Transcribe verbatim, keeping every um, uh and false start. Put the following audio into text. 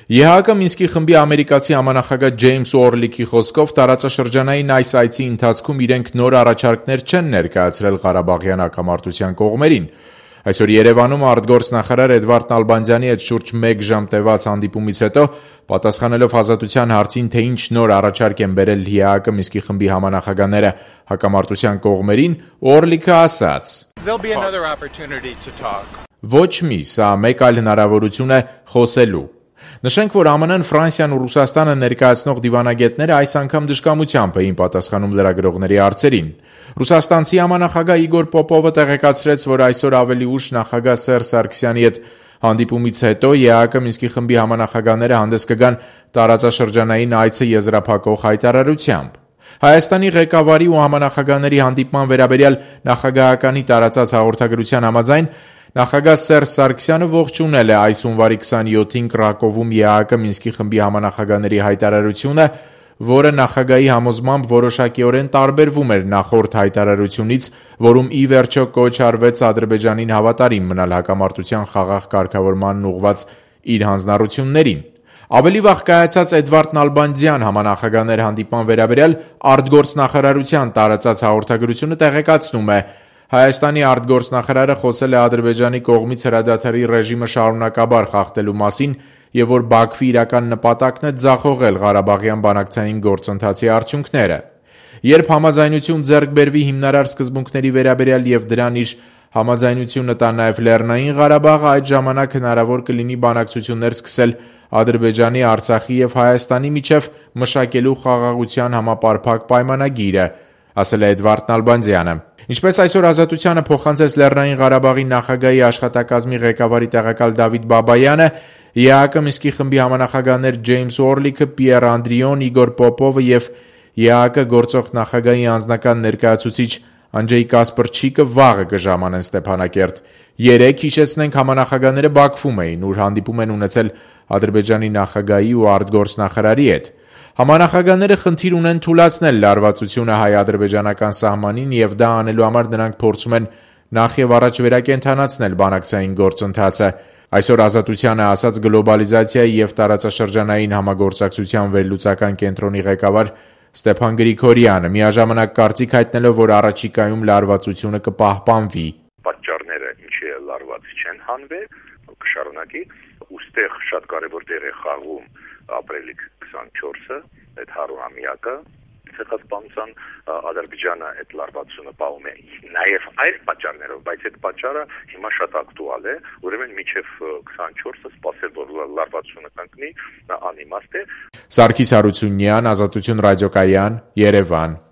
Է Հ Կ Մինսկի խմբի ամերիկացի համանախագահ Ջեյմս Օրլիքի խոսքով տարածաշրջանային այս այցի ընթացքում իրենք նոր առաջարկներ չեն ներկայացրել Ղարաբաղյան հակամարտության կողմերին։ Այսօր Երևանում արտգործնախարար Էդվարդ Նալբանդյանի հետ շուրջ մեկ ժամ տևած հանդիպումից հետո, պատասխանելով Ազատության հարցին, թե ինչ նոր առաջարկ են բերել Է Հ Կ Մինսկի խմբի համանախագահները հակամարտության կողմերին, Օրլիքը ասաց. Ոչ մի, սա մեկ այլ հնարավորություն է խոսելու։ Նշենք, որ Ամն Ն, Ֆրանսիան ու Ռուսաստանը ներկայացնող դիվանագետները այս անգամ դժկամությամբ էին պատասխանում լրագրողների հարցերին։ Ռուսաստանցի համանախագահ Իգոր Պոպովը տեղեկացրեց, որ այսօր ավելի ուշ նախագահ Սերժ Սարգսյանի հետ հանդիպումից հետո Է Հ Կ Մինսկի խմբի համանախագահները հանդես կգան տարածաշրջանային այցը եզրափակող հայտարարությամբ։ Հայաստանի ղեկավարի ու համանախագահների հանդիպման վերաբերյալ նախագահականի տարածած հաղորդագրության համաձայն, նախագահ Սերժ Սարգսյանը ողջունել է այս հունվարի քսանյոթին Կրակովում Է Հ Կ Մինսկի խմբի համանախագահների հայտարարությունը, որը նախագահի համոզմամբ որոշակիորեն տարբերվում էր նախորդ հայտարարությունից, որում ի վերջո կոչ արվեց Ադրբեջանին հավատարիմ մնալ հակամարտության խաղաղ կարգավորմանն ուղղված իր հանձնառություններին։ Ավելի վաղ կայացած Էդվարդ Նալբանդյան համանախագահներ հանդիպման վերաբերյալ արտգործնախարարության տարածած հաղորդագրությունը տեղեկացնում է. Հայաստանի արտգործնախարարը խոսել է Ադրբեջանի կողմից հրադադարի ռեժիմը շարունակաբար խախտելու մասին և որ Բաքվի իրական նպատակն է ձախողել Ղարաբաղյան բանակցային գործընթացի արդյունքները։ Երբ համաձայնություն ձեռք բերվի հիմնարար սկզբունքների վերաբերյալ և դրան իր համաձայնությունը տա նաև Լեռնային Ղարաբաղը, այդ ժամանակ հնարավոր կլինի բանակցություններ սկսել Ադրբեջանի, Արցախի և Հայաստանի միջև մշակելու խաղաղության համապարփակ պայմանագիրը, ասել է Էդվարդ Նալբանդյանը։ Ինչպես այսօր Ազատությանը փոխանցեց Լեռնային Ղարաբաղի նախագահի աշխատակազմի ղեկավարի տեղակալ Դավիթ Բաբայանը, Է Հ Կ Մինսկի խմբի համանախագահներ Ջեյմս Օրլիքը, Պիեր Անդրիոն, Իգոր Պոպովը և Է Հ Կ գործող նախագահի անձնական ներկայացուցիչ Անջեյ Կասպրչիկը վաղը կժամանեն Ստեփանակերտ։ Երեկ, հիշեցնենք, համանախագահները Բաքվում էին, ուր հանդիպում են ունեցել Ադրբեջանի նախագահի ու արտգործնախարարի հետ։ Համանախագահները խնդիր ունեն թուլացնել լարվածությունը հայ-ադրբեջանական սահմանին և դա անելու համար նրանք փորձում են նախ և առաջ վերակենդանացնել բանակցային գործընթացը։ Այսօր Ազատությանը ասաց գլոբալիզացիայի և տարածաշրջանային համագործակցության վերլուծական կենտրոնի ղեկավար Ստեփան Գրիգորյանը, միաժամանակ կարծիք հայտնելով, որ առաջիկայում լարվածությունը կպահպանվի։ Պատճառները ինչի լարված չեն հանվել, կշարունակի, ուստեղ շատ կարևոր դեր է խաղում ապրիլի քսանչորսը, այդ հարյուրամյակը ցեղասպանության, Ադրբեջանը այդ լարվածությունը պահում է նաև այլ պատճառներով, բայց այդ պատճառը հիմա շատ ակտուալ է, ուրեմն մինչև քսանչորսը սպասել, որ լարվածությունը կանգնի, անիմաստ է։ Սարգիս Հարությունյան, Ազատություն ռադիոկայան, Երևան։